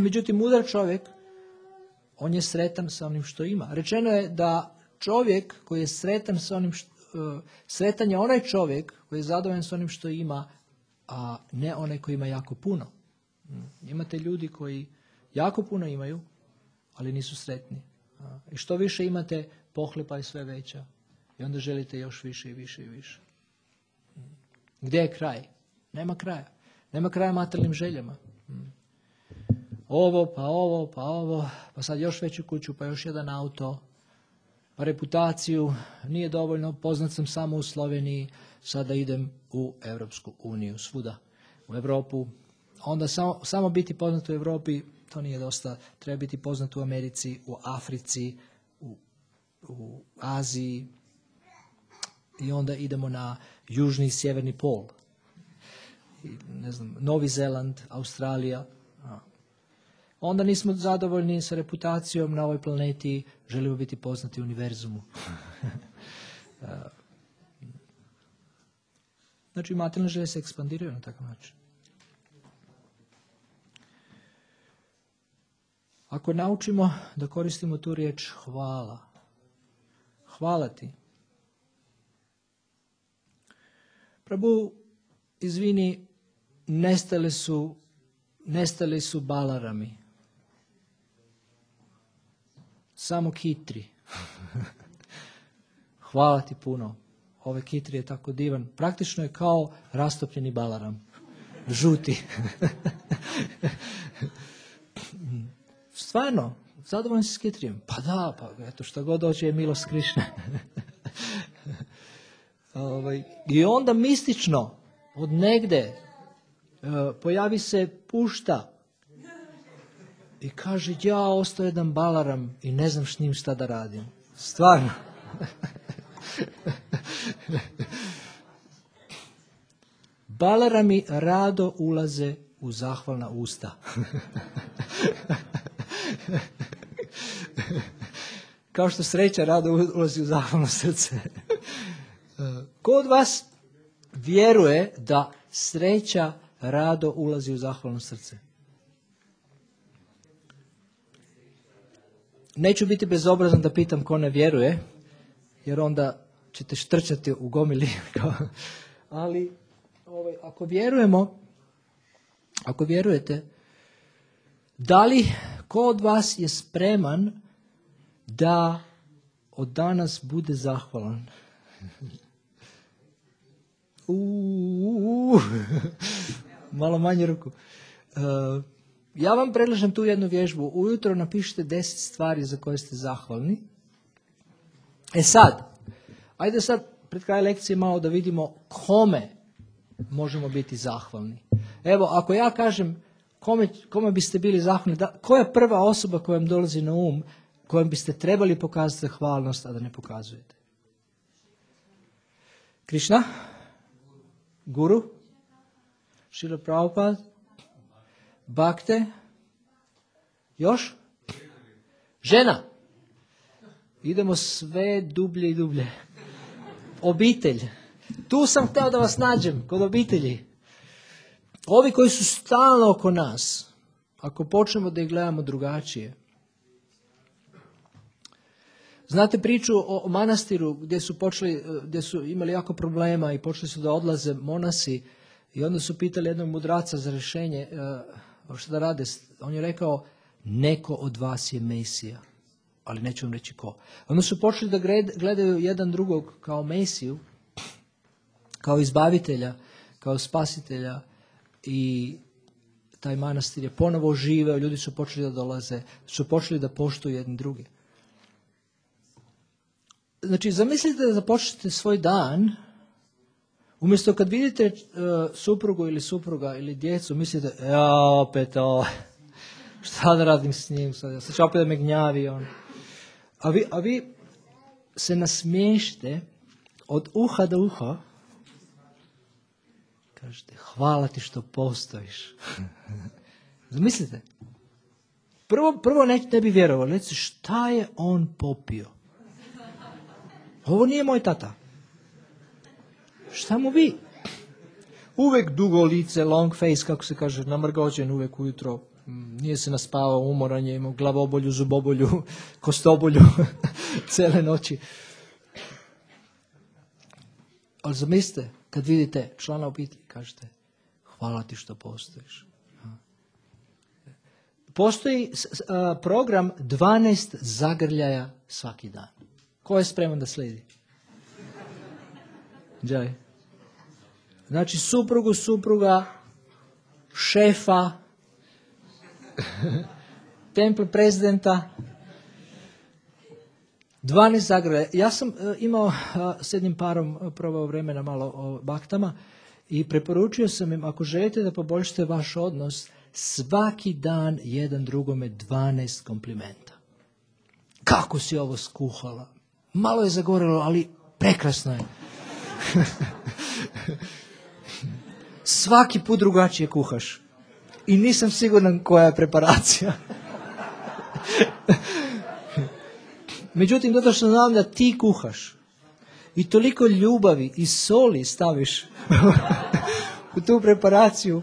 Međutim, mudar čovjek, on je sretan sa onim što ima. Rečeno je da čovjek koji je sretan sa onim što, uh, sretan je onaj čovjek koji je zadovoljan sa onim što ima, a ne onaj koji ima jako puno. Imate ljudi koji jako puno imaju, ali nisu sretni. I što više imate, pohlepa je sve veća. I onda želite još više i više i više. Gdje je kraj? Nema kraja. Nema kraja materijalnim željama. ovo, pa ovo, pa ovo, pa sad još veću kuću, pa još jedan auto, pa reputaciju, nije dovoljno, poznat sam samo u Sloveniji, sada idem u Europsku uniju, svuda u Europu. Onda samo, samo biti poznat u Europi, to nije dosta, treba biti poznat u Americi, u Africi, u, u Aziji i onda idemo na južni i sjeverni pol. I, ne znam, Novi Zeland, Australija. Onda nismo zadovoljni sa reputacijom na ovoj planeti, želimo biti poznati u univerzumu. Znači, materijalne želje se ekspandiraju na takav način. Ako naučimo da koristimo tu riječ hvala, hvala ti. Prabhu, izvini, nestali su, nestali su balarami. Samo kitri. Hvala ti puno. Ove kitri je tako divan. Praktično je kao rastopljeni balaram. Žuti. Stvarno, zadovoljno si s kitrijem. Pa da, pa eto što god dođe je milost Krišne. ovaj, I onda mistično, od negde, uh, pojavi se pušta i kaže, ja ostao jedan balaram i ne znam s njim šta da radim. Stvarno. Balarami rado ulaze u zahvalna usta. Kao što sreća rado ulazi u zahvalno srce. Ko od vas vjeruje da sreća rado ulazi u zahvalno srce? Neću biti bezobrazan da pitam ko ne vjeruje, jer onda ćete štrčati u gomili. Ali ovaj, ako vjerujemo, ako vjerujete, da li ko od vas je spreman da od danas bude zahvalan? Uuu, malo manje ruku. Uh, ja vam predlažem tu jednu vježbu. Ujutro napišite deset stvari za koje ste zahvalni. E sad, ajde sad pred kraj lekcije malo da vidimo kome možemo biti zahvalni. Evo, ako ja kažem kome, kome biste bili zahvalni, da, koja je prva osoba koja vam dolazi na um, kojom biste trebali pokazati zahvalnost, a da ne pokazujete? Krišna? Guru? Šrila Prabhupada? Bhakte? Još? Žena? Idemo sve dublje i dublje. Obitelj. Tu sam htio da vas nađem, kod obitelji. Ovi koji su stalno oko nas, ako počnemo da ih gledamo drugačije. Znate priču o manastiru gdje su počeli, gdje su imali jako problema i počeli su da odlaze monasi i onda su pitali jednog mudraca za rješenje što da rade. On je rekao, neko od vas je Mesija, ali neću vam reći ko. Onda su počeli da gledaju jedan drugog kao Mesiju, kao izbavitelja, kao spasitelja i taj manastir je ponovo oživeo, ljudi su počeli da dolaze, su počeli da poštuju jedni druge. Znači, zamislite da započnete svoj dan, umjesto kad vidite uh, suprugu ili supruga ili djecu, mislite, ja opet ovo, šta da radim s njim, sad, sad će opet da me gnjavi on. A vi, a vi se nasmiješite od uha do uha, kažete, hvala ti što postojiš. Zamislite, prvo, prvo ne, ne bi vjerovali, recite, šta je on popio? Ovo nije moj tata. Šta mu vi? Uvek dugo lice, long face, kako se kaže, namrgođen uvek ujutro. Nije se naspavao, umoran je, imao glavobolju, zubobolju, kostobolju, cele noći. Ali zamislite, kad vidite člana obitelji, kažete, hvala ti što postojiš. Postoji program dvanaest zagrljaja svaki dan. Ko je spreman da slijedi? Džaj. Znači, suprugu, supruga, šefa, Templ prezidenta, dvanaest zagrada. Ja sam uh, imao uh, s jednim parom uh, probao vremena malo o baktama i preporučio sam im, ako želite da poboljšate vaš odnos, svaki dan jedan drugome dvanaest komplimenta. Kako si ovo skuhala? Malo je zagorelo, ali prekrasno je. Svaki put drugačije kuhaš. I nisam siguran koja je preparacija. Međutim, zato što znam da ti kuhaš i toliko ljubavi i soli staviš u tu preparaciju,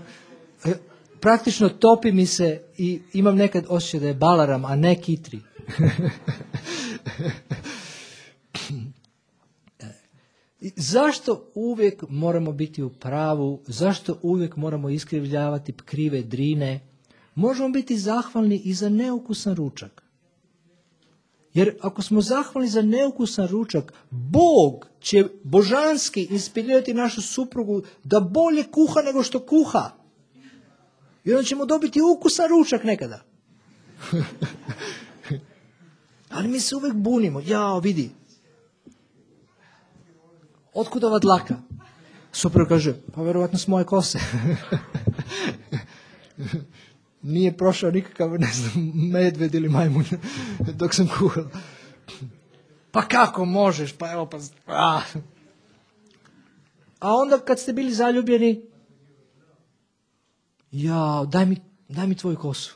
praktično topi mi se i imam nekad osjećaj da je balaram, a ne kitri. Zašto uvijek moramo biti u pravu? Zašto uvijek moramo iskrivljavati krive drine? Možemo biti zahvalni i za neukusan ručak. Jer ako smo zahvalni za neukusan ručak, Bog će božanski inspirirati našu suprugu da bolje kuha nego što kuha. I onda ćemo dobiti ukusan ručak nekada. Ali mi se uvijek bunimo. Jao, vidi. Otkud ova dlaka? Supruga kaže, pa vjerovatno s moje kose. Nije prošao nikakav, ne znam, medved ili majmun dok sam kuhala. Pa kako možeš? Pa evo, pa... A. A onda kad ste bili zaljubljeni, ja, daj mi, daj mi tvoju kosu.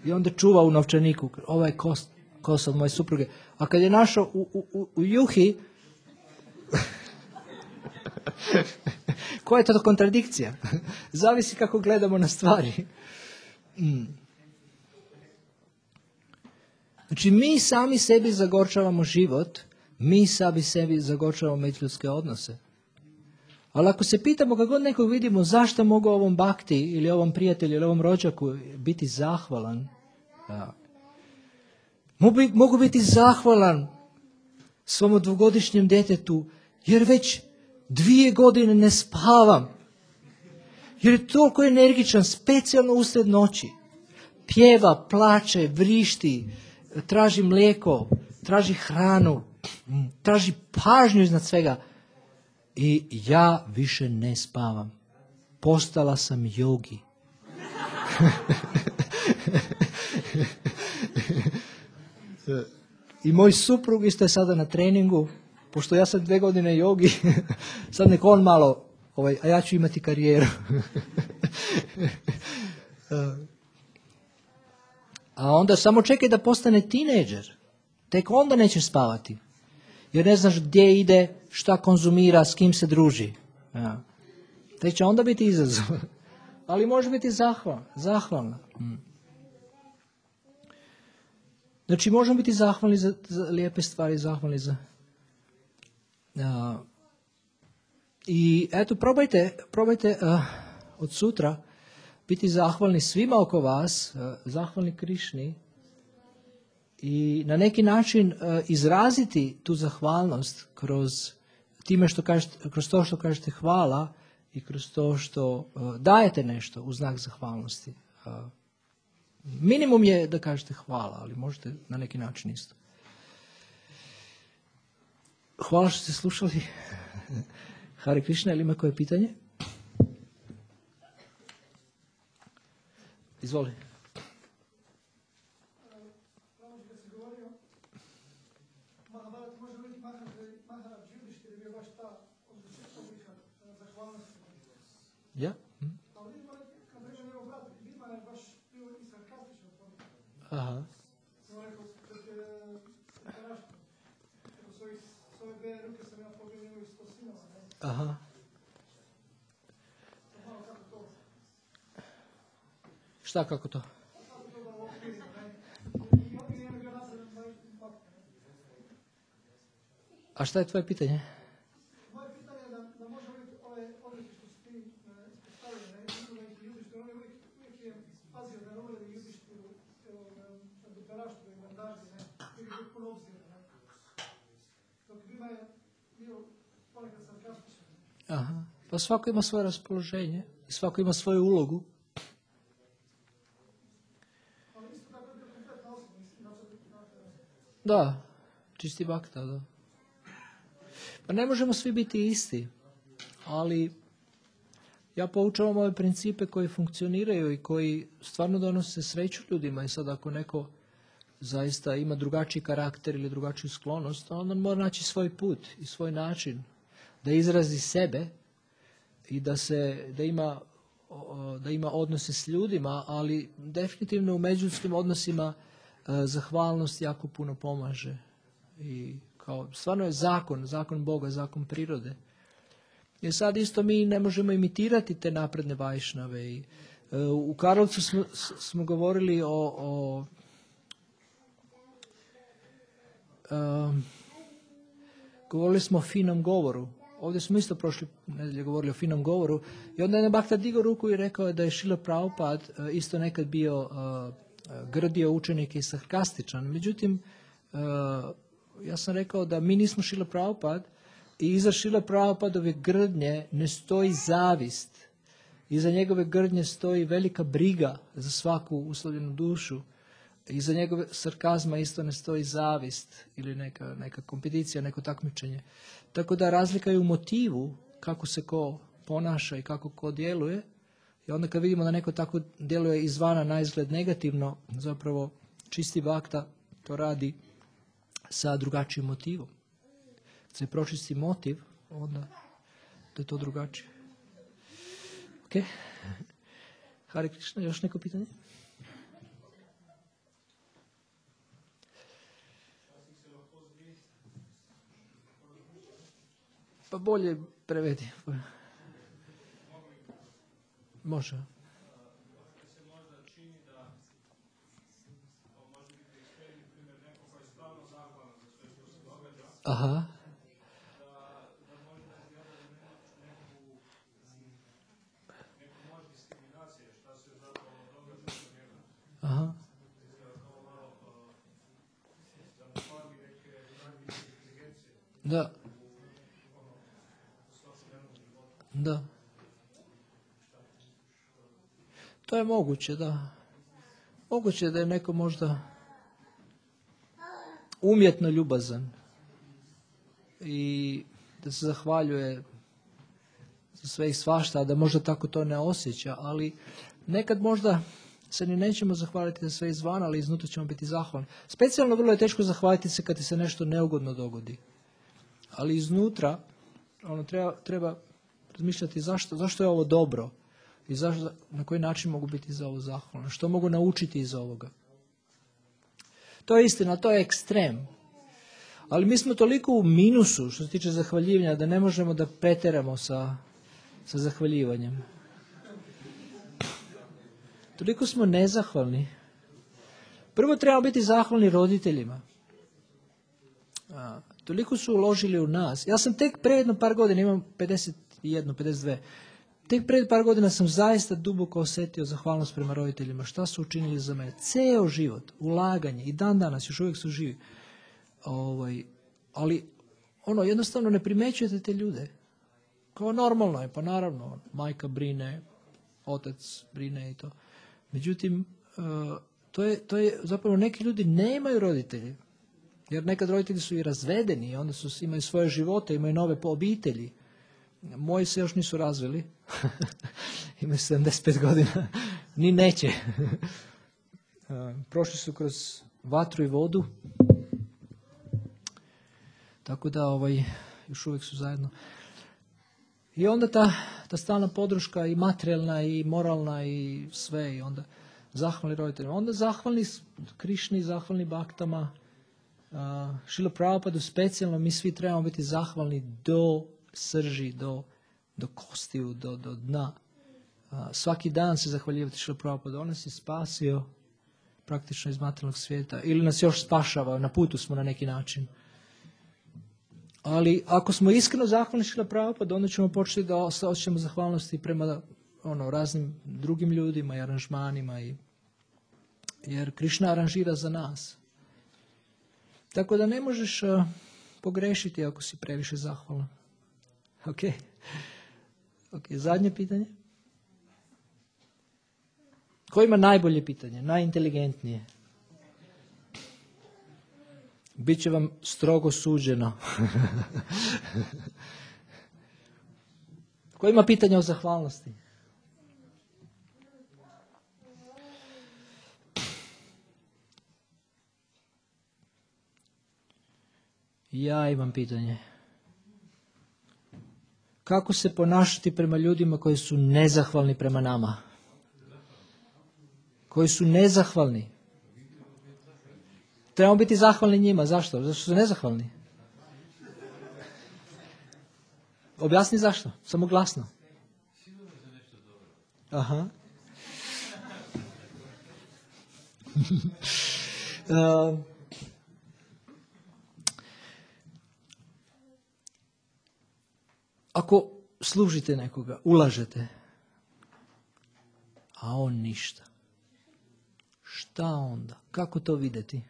I onda čuva u novčaniku, ova je kos, kosa od moje supruge. A kad je našao u, u, u juhi, koja je to kontradikcija? Zavisi kako gledamo na stvari. Mm. Znači, mi sami sebi zagorčavamo život, mi sami sebi zagorčavamo međuljudske odnose. Ali ako se pitamo kako god nekog vidimo, zašto mogu ovom bakti ili ovom prijatelju ili ovom rođaku biti zahvalan? Ja. Mogu, mogu biti zahvalan svom dvogodišnjem djetetu, jer već dvije godine ne spavam. Jer je toliko energičan, specijalno usred noći. Pjeva, plače, vrišti, traži mlijeko, traži hranu, traži pažnju iznad svega. I ja više ne spavam. Postala sam jogi. I moj suprug isto je sada na treningu, pošto ja sam dve godine jogi, sad nek on malo, ovaj, a ja ću imati karijeru. A onda samo čekaj da postane tinejdžer. Tek onda nećeš spavati. Jer ne znaš gdje ide, šta konzumira, s kim se druži. Ja. Tek će onda biti izazov. Ali može biti zahvalna. zahvalna. Hmm. Znači, možemo biti zahvalni za, za lijepe stvari, zahvalni za... Uh, I eto, probajte, probajte uh, od sutra biti zahvalni svima oko vas, uh, zahvalni Krišni i na neki način uh, izraziti tu zahvalnost kroz time što kažete, kroz to što kažete hvala i kroz to što uh, dajete nešto u znak zahvalnosti. Uh, minimum je da kažete hvala, ali možete na neki način isto. Hvala što ste slušali. Hare Krishna, ili ima koje pitanje? Izvoli. Ja? Hm? Aha. Aha. Šta, kako to? A šta je tvoje pitanje? Moje pitanje je da, da može biti ove odreći što su ti postavili, ne neki ljudi što oni uvijek, uvijek je pazio da ne uvijek ljudi što u doktoraštvu i montaži, ne, uvijek je puno obzira, ne. Dok njima je bio ponekad sarkastičan. Aha. Pa svako ima svoje raspoloženje i svako ima svoju ulogu. Da, čisti bakta, da. Pa ne možemo svi biti isti, ali ja poučavam ove principe koji funkcioniraju i koji stvarno donose sreću ljudima. I sad ako neko zaista ima drugačiji karakter ili drugačiju sklonost, onda on mora naći svoj put i svoj način da izrazi sebe i da se da ima da ima odnose s ljudima, ali definitivno u međuljudskim odnosima zahvalnost jako puno pomaže. I kao stvarno je zakon, zakon Boga, zakon prirode. Jer sad isto mi ne možemo imitirati te napredne vajšnave. I, uh, u Karlovcu smo, smo govorili o, o uh, govorili smo o finom govoru. Ovdje smo isto prošli nedelje govorili o finom govoru. I onda je Bhakta digao ruku i rekao da je Šrila Prabhupada uh, isto nekad bio uh, grdio učenike i sarkastičan. Međutim, uh, ja sam rekao da mi nismo Šrila Prabhupada i iza Šrila Prabhupadove grdnje ne stoji zavist. Iza njegove grdnje stoji velika briga za svaku uslovljenu dušu. Iza njegove sarkazma isto ne stoji zavist ili neka, neka kompeticija, neko takmičenje. Tako da razlika je u motivu kako se ko ponaša i kako ko djeluje. I onda kad vidimo da neko tako djeluje izvana na izgled negativno, zapravo čisti bakta to radi sa drugačijim motivom. Kad se pročisti motiv, onda da je to drugačije. Ok. Hare Krishna, još neko pitanje? Pa bolje prevedi. Može. Aha. Aha. Da. Da. To je moguće, da. Moguće da je neko možda umjetno ljubazan i da se zahvaljuje za sve i svašta, a da možda tako to ne osjeća, ali nekad možda se ni nećemo zahvaliti za sve izvana, ali iznutra ćemo biti zahvalni. Specijalno vrlo je teško zahvaliti se kad ti se nešto neugodno dogodi. Ali iznutra ono, treba, treba razmišljati zašto, zašto je ovo dobro i zašto, na koji način mogu biti za ovo zahvalni, što mogu naučiti iz ovoga. To je istina, to je ekstrem. Ali mi smo toliko u minusu što se tiče zahvaljivanja da ne možemo da preteramo sa, sa zahvaljivanjem. Toliko smo nezahvalni. Prvo trebamo biti zahvalni roditeljima. A, toliko su uložili u nas. Ja sam tek pre jedno par godina, imam pedeset jedan, pedeset dva, tek pred par godina sam zaista duboko osjetio zahvalnost prema roditeljima. Šta su učinili za mene? Ceo život, ulaganje i dan danas, još uvijek su živi. Ovaj, ali ono, jednostavno ne primećujete te ljude. Kao normalno je, pa naravno, majka brine, otac brine i to. Međutim, uh, to, je, to je zapravo neki ljudi nemaju roditelje. Jer nekad roditelji su i razvedeni, onda su, imaju svoje živote, imaju nove po obitelji. Moji se još nisu razveli. Imaju sedamdeset pet godina. Ni neće. uh, prošli su kroz vatru i vodu. Tako da ovaj, još uvijek su zajedno. I onda ta, ta stalna podrška i materijalna i moralna i sve. I onda zahvalni roditeljima. Onda zahvalni Krišni, zahvalni baktama. Uh, Šrila Prabhupadu specijalno mi svi trebamo biti zahvalni do srži, do, do kostiju, do, do dna. Uh, svaki dan se zahvaljivati Šrila Prabhupadu. On nas je spasio praktično iz materijalnog svijeta. Ili nas još spašava. Na putu smo na neki način. Ali ako smo iskreno zahvalni Šrila Prabhupadu, onda ćemo početi da osjećamo zahvalnosti prema ono, raznim drugim ljudima i aranžmanima. I, jer Krišna aranžira za nas. Tako da ne možeš uh, pogrešiti ako si previše zahvalan. Ok. Ok, zadnje pitanje. Ko ima najbolje pitanje, najinteligentnije? Biće vam strogo suđeno. Ko ima pitanja o zahvalnosti? Ja imam pitanje. Kako se ponašati prema ljudima koji su nezahvalni prema nama? Koji su nezahvalni. Trebamo biti zahvalni njima. Zašto? Zato što su nezahvalni. Objasni zašto. Samo glasno. Aha. uh, ako služite nekoga, ulažete, a on ništa. Šta onda? Kako to vidjeti?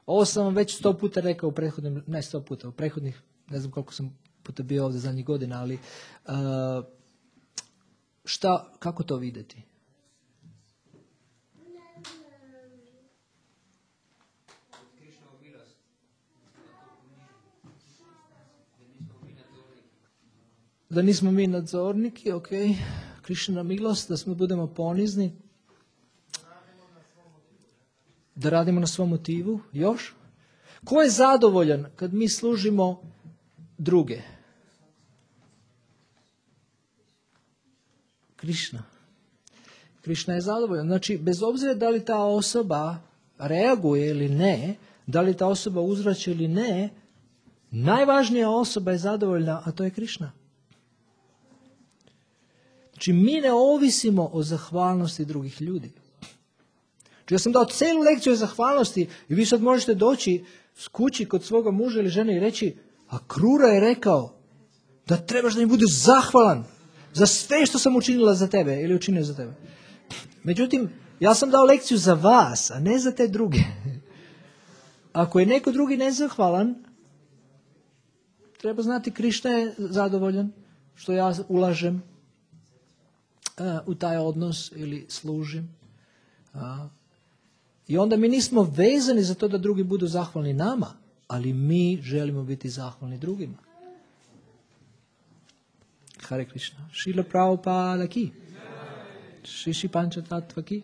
Ovo sam vam već sto puta rekao u prethodnim, ne sto puta, u prethodnih, ne znam koliko sam puta bio ovdje zadnjih godina, ali uh, šta, kako to vidjeti? Da nismo mi nadzorniki, ok, Krišina milost, da smo budemo ponizni, da radimo na svom motivu, još? Ko je zadovoljan kad mi služimo druge? Krišna. Krišna je zadovoljan. Znači, bez obzira da li ta osoba reaguje ili ne, da li ta osoba uzvraća ili ne, najvažnija osoba je zadovoljna, a to je Krišna. Znači, mi ne ovisimo o zahvalnosti drugih ljudi. Znači, ja sam dao celu lekciju o zahvalnosti i vi sad možete doći s kući kod svoga muža ili žene i reći, a Krura je rekao da trebaš da mi budeš zahvalan za sve što sam učinila za tebe ili učinio za tebe. Međutim, ja sam dao lekciju za vas, a ne za te druge. Ako je neko drugi nezahvalan, treba znati Krišna je zadovoljan što ja ulažem u taj odnos ili služim. A, I onda mi nismo vezani za to da drugi budu zahvalni nama, ali mi želimo biti zahvalni drugima. Hare Krishna. Šrila Prabhupada ki. Shishi Pancha Tattva ki.